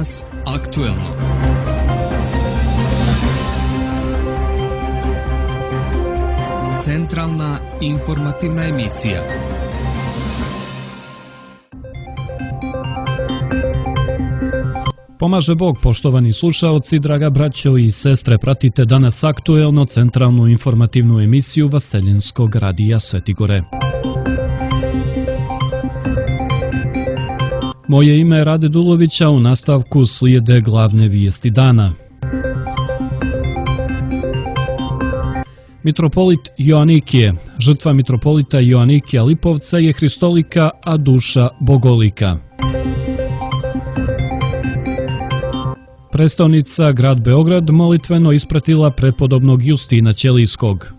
Danas aktuelno. Centralna informativna emisija. Pomaže Bog, poštovani slušaoci, draga braćo i sestre, pratite Danas aktuelno, centralnu informativnu emisiju Vaseljenskog radija Svetigore. Moje ime je Rade Dulovića, u nastavku slijede glavne vijesti dana. Mitropolit Joanikije. Žrtva mitropolita Joanikija Lipovca je hristolika, a duša bogolika. Prestolnica, grad Beograd, molitveno ispratila prepodobnog Justina Ćelijskog.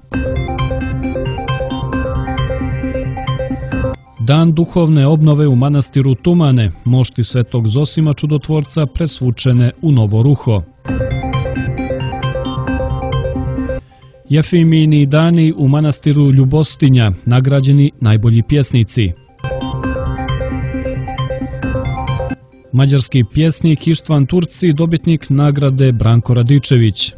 Dan duhovne obnove u manastiru Tumane, mošti Svetog Zosima Čudotvorca presvučene u novo ruho. Jefimini dani u manastiru Ljubostinja, nagrađeni najbolji pjesnici. Mađarski pjesnik Ištvan Turci, dobitnik nagrade Branko Radičević.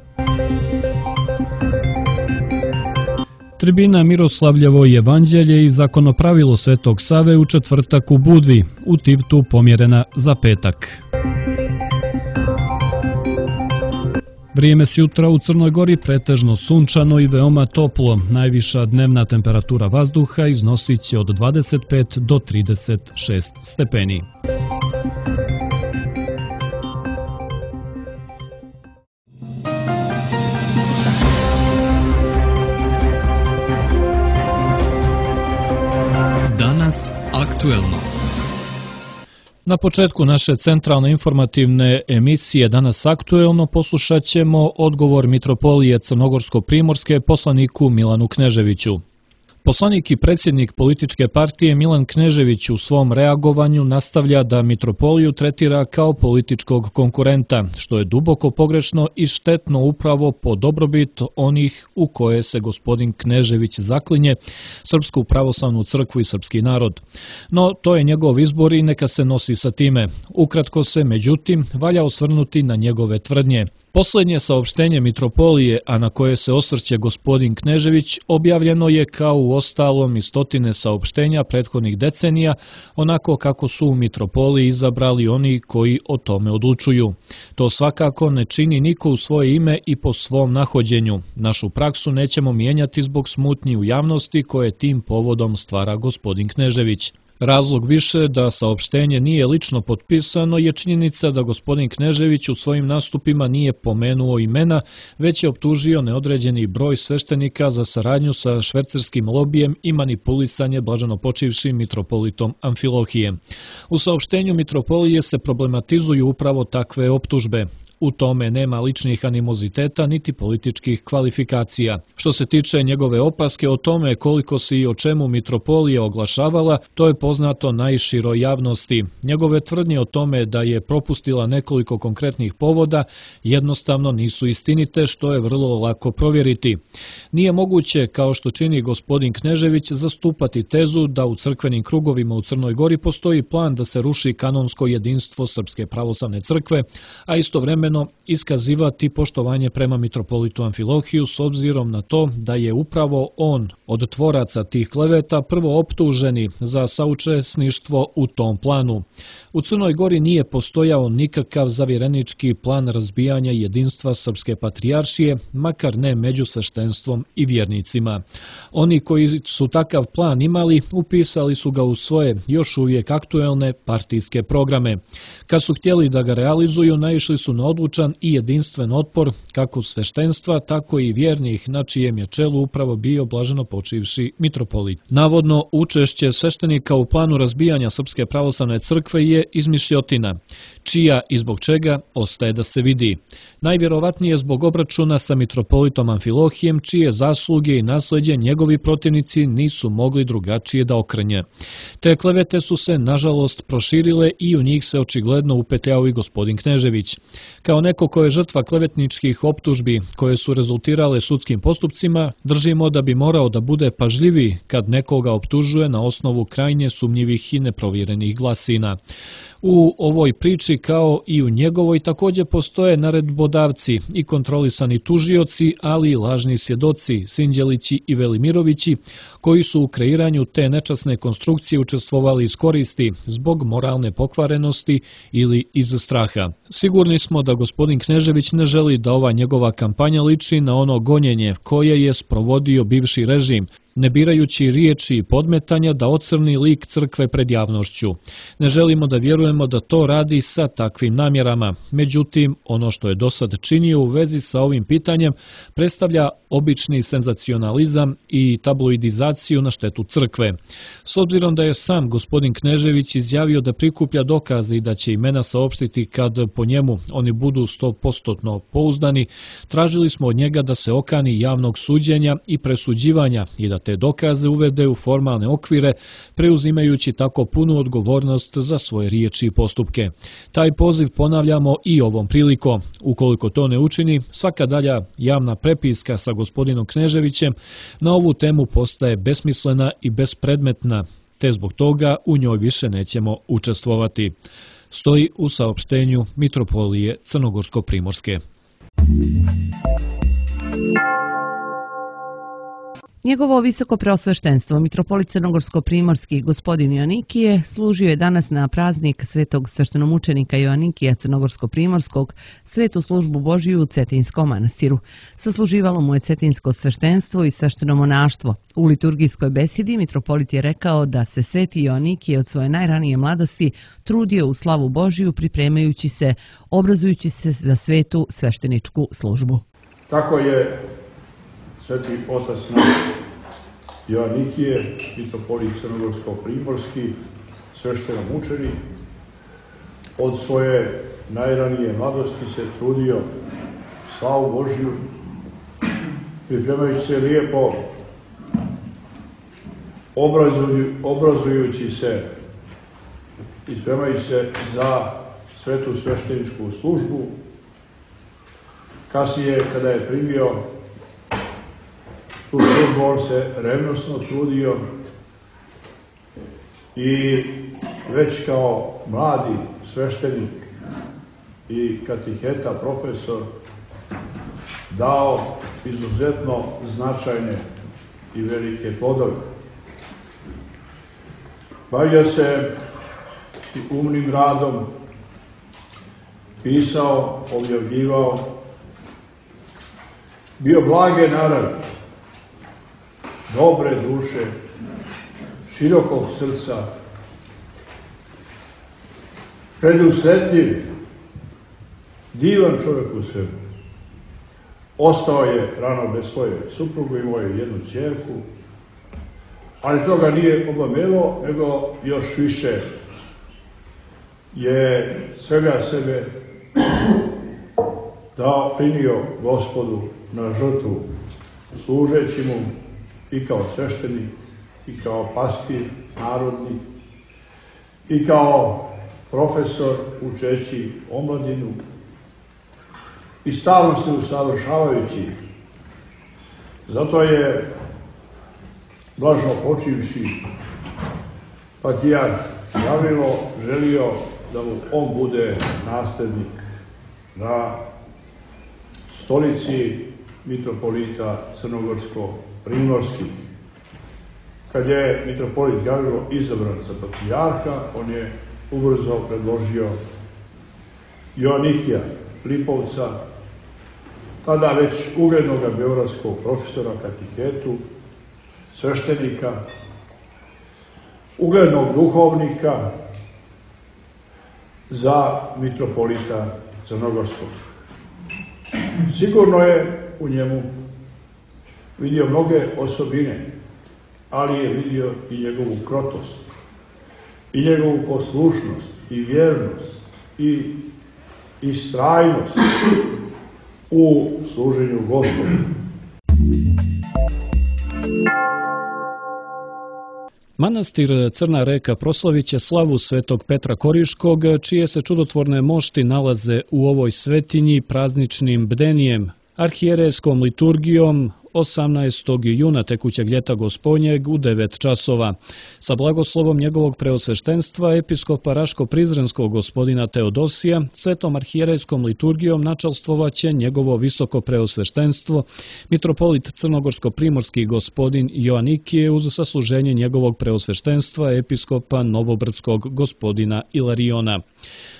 Tribina Miroslavljevo evanđelje i zakonopravilo Svetog Save u četvrtak u Budvi, u Tivtu pomjerena za petak. Vrijeme sutra u Crnoj Gori pretežno sunčano i veoma toplo. Najviša dnevna temperatura vazduha iznosit će od 25 do 36 stepeni. Danas aktuelno. Na početku naše centralne informativne emisije Danas aktuelno poslušat ćemo odgovor mitropolije Crnogorsko-primorske poslaniku Milanu Kneževiću. Poslanik i predsjednik političke partije Milan Knežević u svom reagovanju nastavlja da mitropoliju tretira kao političkog konkurenta, što je duboko pogrešno i štetno upravo po dobrobit onih u koje se gospodin Knežević zaklinje, Srpsku pravoslavnu crkvu i srpski narod. No, to je njegov izbor i neka se nosi sa time. Ukratko se, međutim, valja osvrnuti na njegove tvrdnje. Posljednje saopštenje mitropolije, a na koje se osvrće gospodin Knežević, objavljeno je kao u ostalom i stotine saopštenja prethodnih decenija, onako kako su u mitropoliji izabrali oni koji o tome odlučuju. To svakako ne čini niko u svoje ime i po svom nahođenju. Našu praksu nećemo mijenjati zbog smutnji u javnosti koje tim povodom stvara gospodin Knežević. Razlog više da saopštenje nije lično potpisano je činjenica da gospodin Knežević u svojim nastupima nije pomenuo imena, već je optužio neodređeni broj sveštenika za saradnju sa švercerskim lobijem i manipulisanje blaženopočivšim mitropolitom Amfilohijem. U saopštenju mitropolije se problematizuju upravo takve optužbe. U tome nema ličnih animoziteta niti političkih kvalifikacija. Što se tiče njegove opaske o tome koliko se i o čemu mitropolija oglašavala, to je poznato najširoj javnosti. Njegove tvrdnje o tome da je propustila nekoliko konkretnih povoda jednostavno nisu istinite, što je vrlo lako provjeriti. Nije moguće, kao što čini gospodin Knežević, zastupati tezu da u crkvenim krugovima u Crnoj Gori postoji plan da se ruši kanonsko jedinstvo Srpske pravoslavne crkve, a istovremeno iskazivati poštovanje prema mitropolitu Amfilohiju s obzirom na to da je upravo on od tvoraca tih kleveta prvo optuženi za saučesništvo u tom planu. U Crnoj Gori nije postojao nikakav zavjerenički plan razbijanja jedinstva Srpske patrijaršije, makar ne među sveštenstvom i vjernicima. Oni koji su takav plan imali, upisali su ga u svoje još uvijek aktuelne partijske programe. Kad su htjeli da ga realizuju, naišli su na odlučan i jedinstven otpor kako sveštenstva, tako i vjernih, na čijem je čelu upravo bio blaženopočivši mitropolit. Navodno, učešće sveštenika u planu razbijanja Srpske pravoslavne crkve je izmišljotina, čija i zbog čega ostaje da se vidi. Najvjerovatnije zbog obračuna sa mitropolitom Amfilohijem, čije zasluge i nasljeđe njegovi protivnici nisu mogli drugačije da okrenje. Te klevete su se, nažalost, proširile i u njih se očigledno upetljao i gospodin Knežević. Kao neko ko je žrtva klevetničkih optužbi koje su rezultirale sudskim postupcima, držimo da bi morao da bude pažljiviji kad nekoga optužuje na osnovu krajnje sumnjivih i neprovjerenih glasina. U ovoj priči, kao i u njegovoj, također postoje naredbodavci i kontrolisani tužioci, ali i lažni svjedoci, Sinđelići i Velimirovići, koji su u kreiranju te nečasne konstrukcije učestvovali iz koristi, zbog moralne pokvarenosti ili iz straha. Sigurni smo da gospodin Knežević ne želi da ova njegova kampanja liči na ono gonjenje koje je sprovodio bivši režim, ne birajući riječi i podmetanja da ocrni lik crkve pred javnošću. Ne želimo da vjerujemo da to radi sa takvim namjerama. Međutim, ono što je do sad činio u vezi sa ovim pitanjem predstavlja obični senzacionalizam i tabloidizaciju na štetu crkve. S obzirom da je sam gospodin Knežević izjavio da prikuplja dokaze i da će imena saopštiti kad po njemu oni budu 100% pouzdani, tražili smo od njega da se okani javnog suđenja i presuđivanja i da te dokaze uvede u formalne okvire, preuzimajući tako punu odgovornost za svoje riječi i postupke. Taj poziv ponavljamo i ovom prilikom. Ukoliko to ne učini, svaka dalja javna prepiska sa gospodinom Kneževićem na ovu temu postaje besmislena i bespredmetna, te zbog toga u njoj više nećemo učestvovati. Stoji u saopštenju Mitropolije Crnogorsko-Primorske. Njegovo visoko preosveštenstvo, mitropolit Crnogorsko-Primorski gospodin Joanikije, služio je danas na praznik svetog sveštenomučenika Joanikija Crnogorsko-Primorskog, svetu službu Božiju u Cetinskom manastiru. Sasluživalo mu je cetinsko sveštenstvo i sveštenomonaštvo. U liturgijskoj besedi mitropolit je rekao da se sveti Joanikije od svoje najranije mladosti trudio u slavu Božiju, pripremajući se, obrazujući se za svetu svešteničku službu. Tako je sveti otac naš Joanikije, mitropolit Crnogorsko-Primorski, sveštenomučenik, od svoje najranije mladosti se trudio slavu Božju, pripremajući se lijepo, obrazujući se i spremajući se za svetu svešteničku službu. Kasnije, kada je primio tu službu, on se revnosno trudio i već kao mladi sveštenik i katiheta, profesor, dao izuzetno značajne i velike plodove. Bavio se umnim radom, pisao, objavljivao, bio blage naravi, dobre duše, širokog srca, predusretljiv, divan čovjek u sebi. Ostao je rano bez svoje supruge, imao je jednu ćerku, ali to ga nije obamelo, nego još više je svega sebe dao, primio Gospodu na žrtvu, služeći mu i kao sveštenik, i kao pastir narodni, i kao profesor učeći omladinu, i stalno se usavršavajući. Zato je blažno počivši patrijarh Gavrilo želio da mu on bude nasljednik na stolici mitropolita Crnogorsko-Primorskih. Kad je mitropolit Gavrilo izabran za patrijarha, on je ubrzo predložio Joanikija Lipovca, tada već uglednog beogradskog profesora katihetu, sveštenika, uglednog duhovnika, za mitropolita Crnogorskog. Sigurno je u njemu vidio mnoge osobine, ali je vidio i njegovu krotost, i njegovu poslušnost, i vjernost, i istrajnost u služenju Gospodu. Manastir Crna Reka proslavit će slavu svetog Petra Koriškog, čije se čudotvorne mošti nalaze u ovoj svetinji prazničnim bdenijem, arhijerejskom liturgijom 18. juna tekućeg ljeta Gospodnjeg u 9 časova. Sa blagoslovom njegovog preosveštenstva, episkopa Raško-Prizrenskog gospodina Teodosija, svetom arhijerejskom liturgijom načalstvovaće njegovo visoko preosveštenstvo, mitropolit Crnogorsko-Primorski gospodin Joanikije uz sasluženje njegovog preosveštenstva, episkopa Novobrdskog gospodina Ilariona.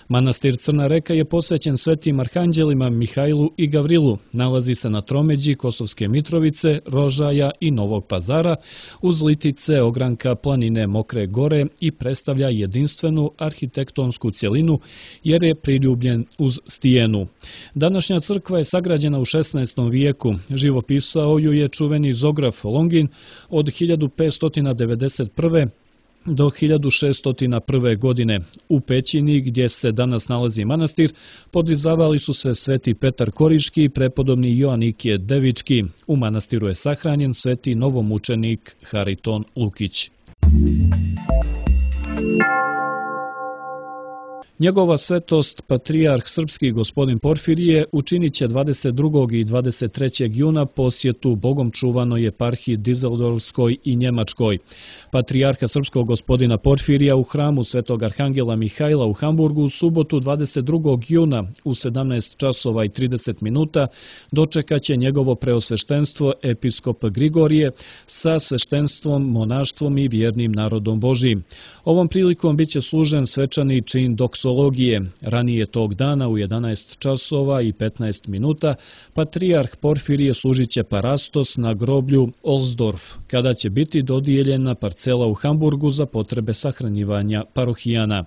Manastir Crna Reka je posvećen svetim arhanđelima Mihajlu i Gavrilu. Nalazi se na tromeđi Kosovske Mitrovice, Rožaja i Novog Pazara, uz litice ogranka planine Mokre Gore i predstavlja jedinstvenu arhitektonsku cjelinu jer je priljubljen uz stijenu. Današnja crkva je sagrađena u 16. vijeku. Živopisao ju je čuveni zograf Longin od 1591. do 1601. godine. U pećini gdje se danas nalazi manastir podvizavali su se sveti Petar Koriški i prepodobni Joanikije Devički. U manastiru je sahranjen sveti novomučenik Hariton Lukić. Njegova svetost, patrijarh srpski gospodin Porfirije, učinit će 22. i 23. juna posjetu Bogom čuvanoj eparhiji Dizeldorfskoj i Njemačkoj. Patrijarha srpskog gospodina Porfirija u hramu svetog arhangela Mihajla u Hamburgu u subotu 22. juna u 17 časova i 30 minuta dočekaće njegovo preosveštenstvo episkop Grigorije sa sveštenstvom, monaštvom i vjernim narodom Božijim. Ovom prilikom bit će služen svečani čin doksologije. Ranije tog dana u 11 časova i 15 minuta patrijarh Porfirije služit će parastos na groblju Olsdorf, kada će biti dodijeljena parcela u Hamburgu za potrebe sahranjivanja parohijana.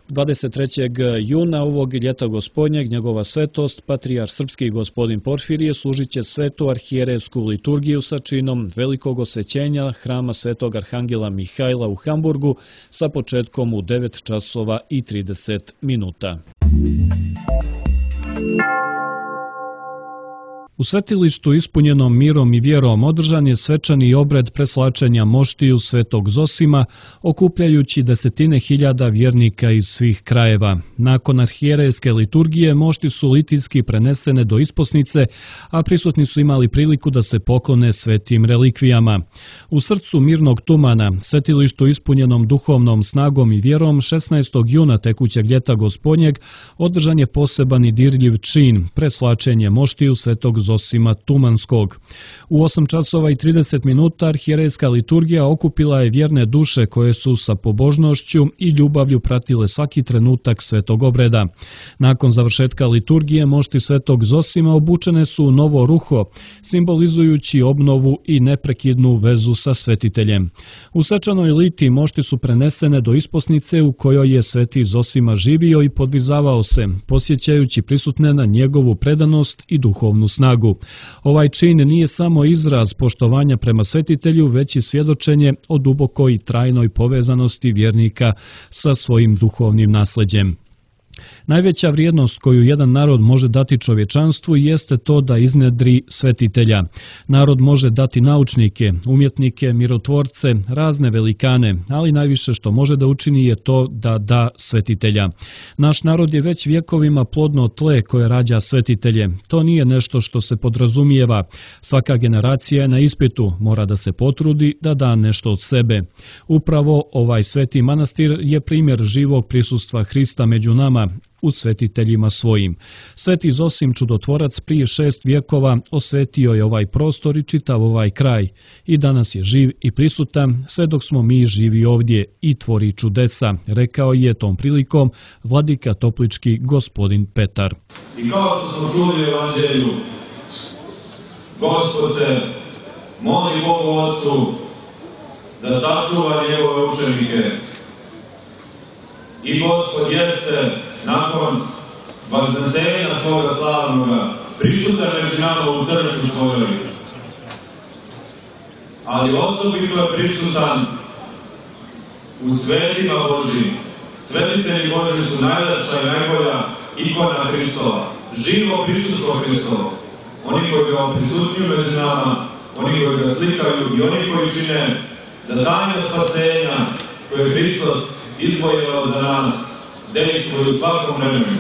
23. juna ovog ljeta Gospodnjeg njegova svetost, patrijarh srpski gospodin Porfirije, služit će svetu arhijerejsku liturgiju sa činom velikog osvećenja hrama svetog arhangela Mihajla u Hamburgu sa početkom u 9 časova i 30 minuta. U svetilištu ispunjenom mirom i vjerom održan je svečani obred preslačenja moštiju svetog Zosima, okupljajući desetine hiljada vjernika iz svih krajeva. Nakon arhijerejske liturgije mošti su litijski prenesene do isposnice, a prisutni su imali priliku da se poklone svetim relikvijama. U srcu mirnog tumana, svetilištu ispunjenom duhovnom snagom i vjerom, 16. juna tekućeg ljeta Gospodnjeg održan je poseban i dirljiv čin, preslačenje moštiju svetog Zosima Tumanskog. U 8 časova i 30 minuta arhijerejska liturgija okupila je vjerne duše koje su sa pobožnošću i ljubavlju pratile svaki trenutak svetog obreda. Nakon završetka liturgije mošti svetog Zosima obučene su u novo ruho, simbolizujući obnovu i neprekidnu vezu sa svetiteljem. U svečanoj liti mošti su prenesene do isposnice u kojoj je sveti Zosima živio i podvizavao se, posjećajući prisutne na njegovu predanost i duhovnu snagu. Ovaj čin nije samo izraz poštovanja prema svetitelju, već i svjedočenje o dubokoj i trajnoj povezanosti vjernika sa svojim duhovnim nasleđem. Najveća vrijednost koju jedan narod može dati čovječanstvu jeste to da iznedri svetitelja. Narod može dati naučnike, umjetnike, mirotvorce, razne velikane, ali najviše što može da učini je to da da svetitelja. Naš narod je već vjekovima plodno tle koje rađa svetitelje. To nije nešto što se podrazumijeva. Svaka generacija je na ispitu, mora da se potrudi da da nešto od sebe. Upravo ovaj sveti manastir je primjer živog prisustva Hrista među nama, u svetiteljima svojim. Sveti Zosim čudotvorac prije 6 vjekova osvetio je ovaj prostor i čitav ovaj kraj. I danas je živ i prisutan, sve dok smo mi živi ovdje i tvori čudesa, rekao je tom prilikom vladika toplički gospodin Petar. I kao što smo čuli u evanđelju, Gospod se moli Bogu Otcu da sačuva njegove učenike. I Gospod jeste nakon vaznesenja svoga slavnoga prisutan među nama u crkvi svojoj. Ali osobito je prisutan u svetima Božijim. Svetitelji Božiji su najlepša i najbolja ikona Hristova, živo prisustvo Hristovo. Oni koji ga prisutnjuju među nama, oni koji ga slikaju i oni koji čine da tajna spasenja koje je Hristos izvojevao za nas dejstvuje u svakom vremenu.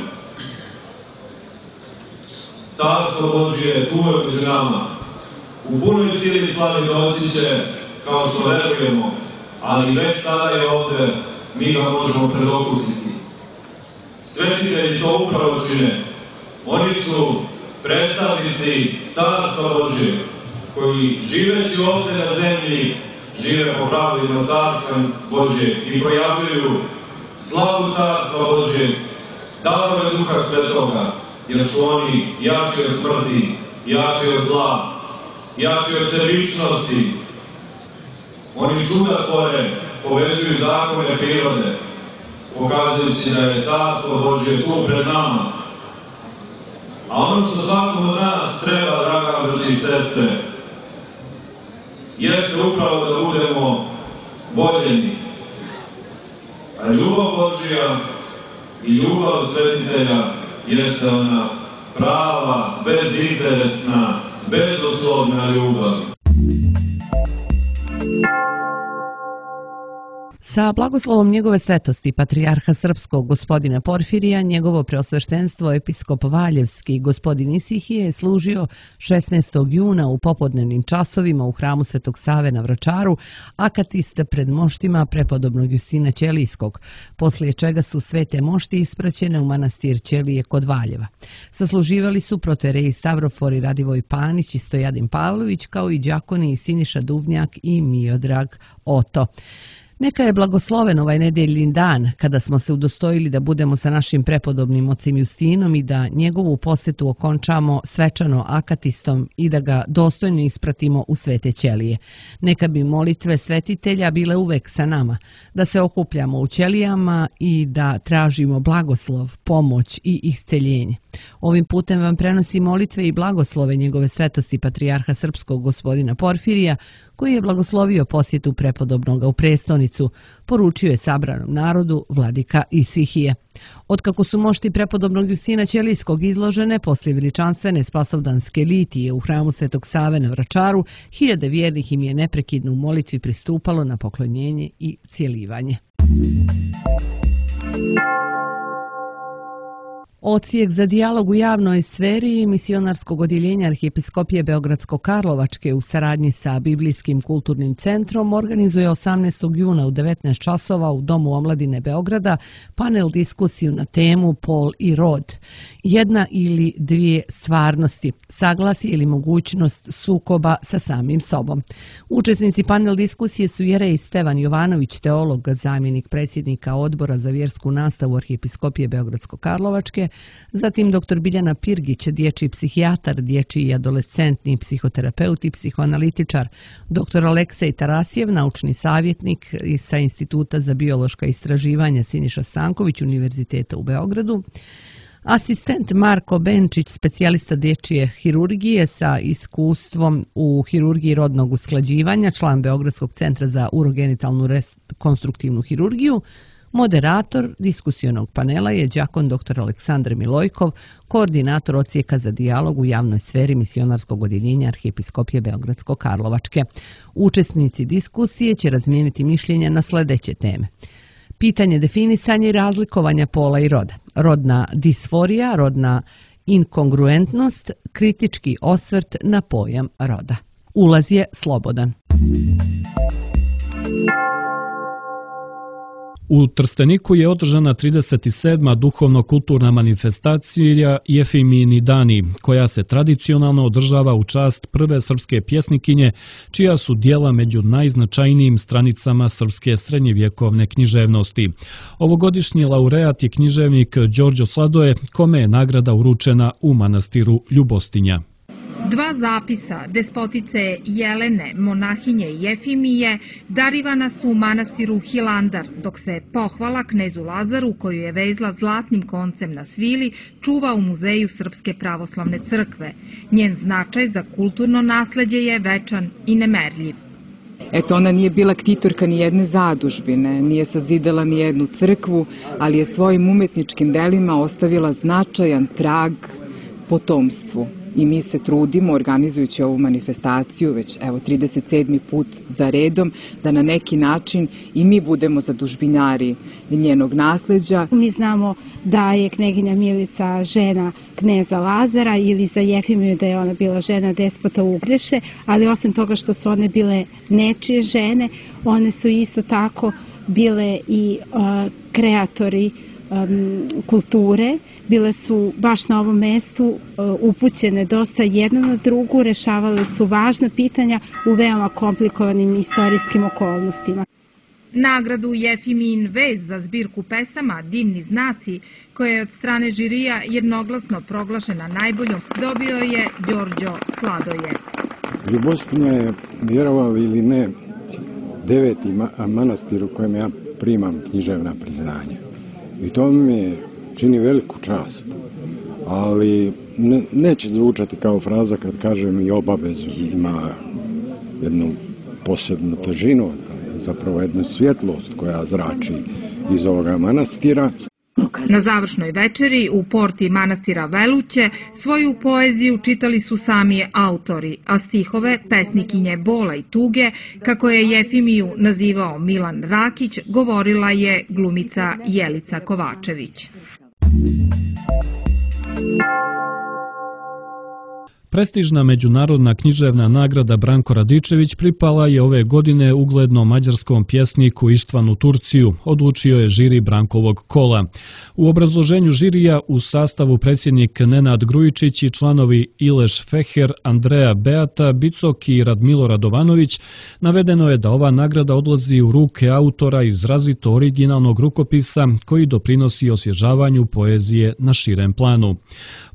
Carstvo Božje je tu među nama. U punoj sili i slavi doći će, kao što verujemo, ali već sada je ovde, mi ga možemo predokusiti. Svetitelji to upravo čine. Oni su predstavnici Carstva Božje, koji živeći ovde na zemlji, žive po pravilima Carstva Božje i projavljuju slavu Carstva Božje, darove Duha Svetoga, jer su oni jači od smrti, jači od zla, jači od sebičnosti. Oni čuda tvore, povezuju zakone prirode, pokazujući da je Carstvo Božje tu pred nama. A ono što svakom od nas treba, draga braće i sestre, jeste upravo da budemo voljeni. A ljubav Božja i ljubav svetitelja jeste ona prava, bezinteresna, bezuslovna ljubav. Sa blagoslovom njegove svetosti patrijarha srpskog gospodina Porfirija, njegovo preosveštenstvo episkop Valjevski gospodin Isihije je služio 16. juna u popodnevnim časovima u hramu Svetog Save na Vračaru, akatiste pred moštima prepodobnog Justina Ćelijskog, poslije čega su svete mošti ispraćene u manastir Ćelije kod Valjeva. Sasluživali su protojereji Stavrofor i Radivoj Panić i Stojadin Pavlović, kao i đakoni Siniša Duvnjak i Miodrag Oto. Neka je blagosloven ovaj nedeljin dan kada smo se udostojili da budemo sa našim prepodobnim ocem Justinom i da njegovu posetu okončamo svečano akatistom i da ga dostojno ispratimo u svete ćelije. Neka bi molitve svetitelja bile uvek sa nama, da se okupljamo u ćelijama i da tražimo blagoslov, pomoć i isceljenje. Ovim putem vam prenosi molitve i blagoslove njegove svetosti patrijarha srpskog gospodina Porfirija, koji je blagoslovio posjetu prepodobnoga u prestonicu, poručio je sabranom narodu vladika Isihije. Otkako su mošti prepodobnog Justina Ćelijskog izložene poslije veličanstvene spasovdanske litije u hramu Svetog Save na Vračaru, hiljade vjernih im je neprekidno u molitvi pristupalo na poklonjenje i cijelivanje. Odsjek za dijalog u javnoj sferi misionarskog odjeljenja Arhijepiskopije Beogradsko-Karlovačke u saradnji sa Biblijskim kulturnim centrom organizuje 18. juna u 19 časova u Domu omladine Beograda panel diskusiju na temu Pol i rod. Jedna ili dvije stvarnosti, saglasje ili mogućnost sukoba sa samim sobom. Učesnici panel diskusije su jerej Stevan Jovanović, teolog, zamjenik predsjednika Odbora za vjersku nastavu Arhijepiskopije Beogradsko-Karlovačke, zatim dr. Biljana Pirgić, dječji psihijatar, dječji i adolescentni psihoterapeut i psihoanalitičar, dr. Aleksej Tarasjev, naučni savjetnik sa Instituta za biološka istraživanja Siniša Stanković Univerziteta u Beogradu, asistent Marko Benčić, specijalista dječje hirurgije sa iskustvom u hirurgiji rodnog usklađivanja, član Beogradskog centra za urogenitalnu rekonstruktivnu hirurgiju. Moderator diskusionog panela je đakon dr. Aleksandar Milojkov, koordinator odsjeka za dijalog u javnoj sferi misionarskog odjeljenja Arhijepiskopije Beogradsko-Karlovačke. Učesnici diskusije će razmijeniti mišljenja na sljedeće teme: pitanje definisanja i razlikovanja pola i roda, rodna disforija, rodna inkongruentnost, kritički osvrt na pojam roda. Ulaz je slobodan. U Trsteniku je održana 37. duhovno-kulturna manifestacija Jefimini dani, koja se tradicionalno održava u čast prve srpske pjesnikinje, čija su djela među najznačajnijim stranicama srpske srednjevjekovne književnosti. Ovogodišnji laureat je književnik Đorđo Sladoje, kome je nagrada uručena u manastiru Ljubostinja. Dva zapisa despotice Jelene, monahinje Jefimije, darivana su u manastiru Hilandar, dok se pohvala knezu Lazaru, koju je vezla zlatnim koncem na svili, čuva u Muzeju Srpske pravoslavne crkve. Njen značaj za kulturno nasleđe je večan i nemerljiv. Eto, ona nije bila ktitorka ni jedne zadužbine, nije sazidala ni jednu crkvu, ali je svojim umetničkim delima ostavila značajan trag potomstvu. i mi se trudimo, organizujući ovu manifestaciju, već 37. put za redom, da na neki način i mi budemo zadužbinjari njenog nasleđa. Mi znamo da je kneginja Milica žena kneza Lazara ili za Jefimiju da je ona bila žena despota Uglješe, ali osim toga što su one bile nečije žene, one su isto tako bile i kreatori kulture. Bile su baš na ovom mestu upućene dosta jedna na drugu, rešavale su važna pitanja u veoma komplikovanim istorijskim okolnostima. Nagradu Jefimijin vez za zbirku pesama Divni znaci, koja je od strane žirija jednoglasno proglašena najboljom, dobio je Đorđo Sladoje. Ljubostinja je, vjerovali ili ne, 9. manastir u kojem ja primam književna priznanja. I to mi čini veliku čast, ali neće zvučati kao fraza kad kažem i obavezu. Ima jednu posebnu težinu, zapravo jednu svjetlost koja zrači iz ovoga manastira. Na završnoj večeri u porti manastira Veluće svoju poeziju čitali su sami autori, a stihove pesnikinje bola i tuge, kako je Jefimiju nazivao Milan Rakić, govorila je glumica Jelica Kovačević. Prestižna međunarodna književna nagrada Branko Radičević pripala je ove godine uglednom mađarskom pjesniku Ištvanu Turciju, odlučio je žiri Brankovog kola. U obrazloženju žirija u sastavu predsjednik Nenad Grujičić i članovi Ileš Feher, Andreja Beata, Bicok i Radmilo Radovanović navedeno je da ova nagrada odlazi u ruke autora izrazito originalnog rukopisa koji doprinosi osvježavanju poezije na širem planu.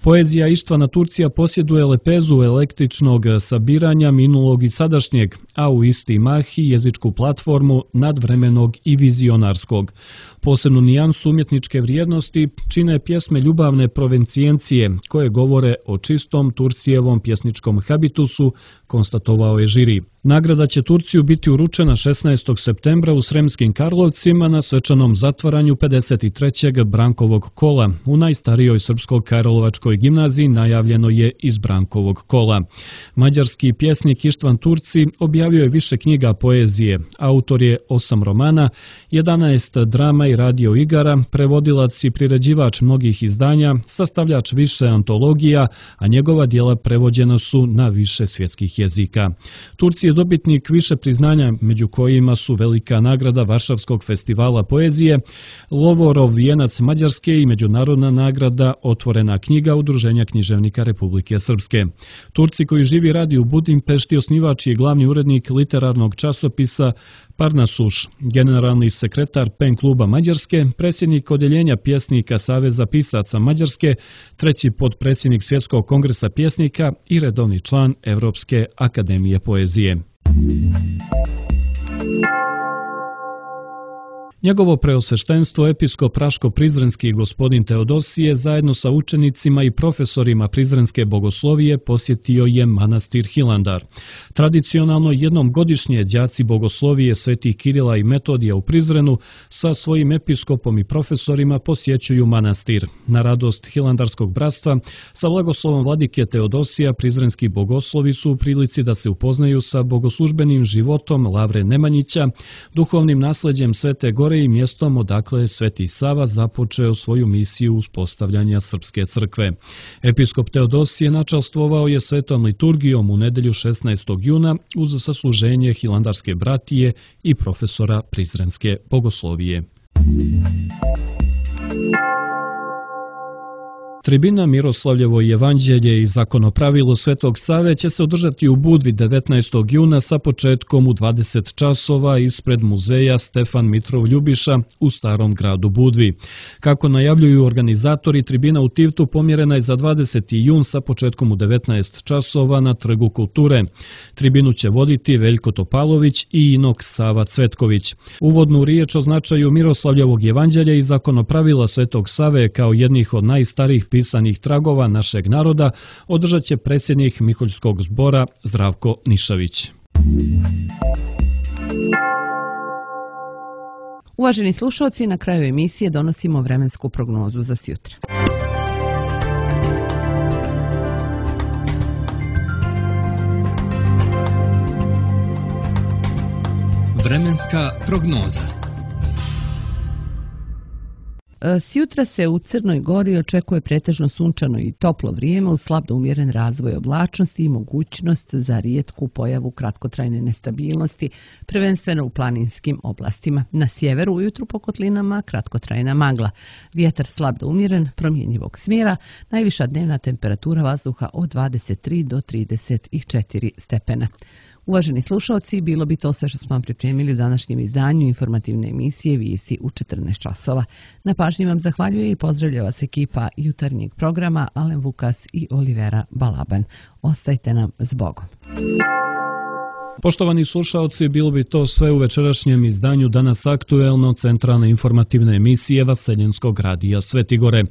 Poezija Ištvana Turcija posjeduje lepezu električnog sabiranja minulog i sadašnjeg, a u isti mah i jezičku platformu nadvremenog i vizionarskog. Posebnu nijansu umjetničke vrijednosti čine pjesme ljubavne provencijencije koje govore o čistom Turcijevom pjesničkom habitusu, konstatovao je žiri. Nagrada će Turciju biti uručena 16. septembra u Sremskim Karlovcima na svečanom zatvaranju 53. Brankovog kola. U najstarijoj srpsko-karlovačkoj gimnaziji najavljeno je iz Brankovog kola. Mađarski pjesnik Ištvan Turci objavio je više knjiga poezije. Autor je 8 romana, 11 drama i radio igara, prevodilac i priređivač mnogih izdanja, sastavljač više antologija, a njegova djela prevođena su na više svjetskih jezika. Turci je dobitnik više priznanja, među kojima su velika nagrada Varšavskog festivala poezije, Lovorov vijenac Mađarske i međunarodna nagrada Otvorena knjiga Udruženja književnika Republike Srpske. Turci koji živi radi u Budimpešti osnivač je glavni urednik literarnog časopisa Parnasuš, generalni sekretar PEN kluba Mađarske, predsjednik odjeljenja pjesnika Saveza pisaca Mađarske, treći potpredsjednik Svjetskog kongresa pjesnika i redovni član Evropske akademije poezije. Njegovo preosveštenstvo episkop Raško-Prizrenski gospodin Teodosije zajedno sa učenicima i profesorima Prizrenske bogoslovije posjetio je manastir Hilandar. Tradicionalno jednom godišnje đaci bogoslovije svetih Kirila i Metodija u Prizrenu sa svojim episkopom i profesorima posjećuju manastir. Na radost Hilandarskog bratstva sa blagoslovom vladike Teodosija Prizrenski bogoslovi su u prilici da se upoznaju sa bogoslužbenim životom Lavre Nemanjića, duhovnim nasleđem Svete Gore i mjestom odakle je Sveti Sava započeo svoju misiju uspostavljanja Srpske crkve. Episkop Teodosije načastvovao je svetom liturgijom u nedelju 16. juna uz sasluženje Hilandarske bratije i profesora Prizrenske bogoslovije. Tribina Miroslavljevo evanđelje i zakonopravilo Svetog Save će se održati u Budvi 19. juna sa početkom u 20 časova ispred muzeja Stefan Mitrov Ljubiša u Starom gradu Budvi. Kako najavljuju organizatori, tribina u Tivtu pomjerena je za 20. jun sa početkom u 19 časova na Trgu kulture. Tribinu će voditi Veljko Topalović i Inok Sava Cvetković. Uvodnu riječ o značaju Miroslavljevog evanđelja i zakonopravila Svetog Save kao jednih od najstarijih pisanih tragova našeg naroda održat će predsjednik Miholjskog zbora Zdravko Nišavić. Uvaženi slušalci, na kraju emisije donosimo vremensku prognozu za sjutra. Vremenska prognoza. Sjutra se u Crnoj Gori očekuje pretežno sunčano i toplo vrijeme uz slab do umjeren razvoj oblačnosti i mogućnost za rijetku pojavu kratkotrajne nestabilnosti, prvenstveno u planinskim oblastima. Na sjeveru ujutru po kotlinama kratkotrajna magla. Vjetar slab do umjeren, promjenjivog smjera, najviša dnevna temperatura vazduha od 23 do 34 stepena. Uvaženi slušalci, bilo bi to sve što smo vam pripremili u današnjem izdanju informativne emisije Vijesti u 14 časova. Na pažnji vam zahvaljuje i pozdravlja vas ekipa jutarnjeg programa Alen Vukas i Olivera Balaban. Ostajte nam s Bogom. Poštovani slušaoci, bilo bi to sve u večerašnjem izdanju Danas aktuelno centralne informativne emisije Vaseljenskog radija Svetigore.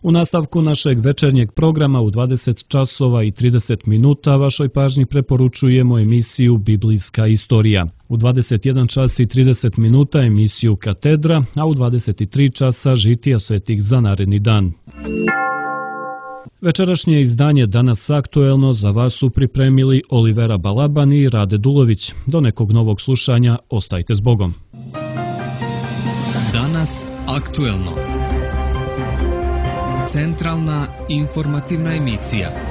U nastavku našeg večernjeg programa u 20 časova i 30 minuta vašoj pažnji preporučujemo emisiju Biblijska istorija. U 21 čas i 30 minuta emisiju Katedra, a u 23 časa žitija svetih za naredni dan. Večerašnje izdanje Danas aktuelno za vas su pripremili Olivera Balaban i Rade Dulović. Do nekog novog slušanja, ostajte s Bogom. Danas aktuelno. Centralna informativna emisija.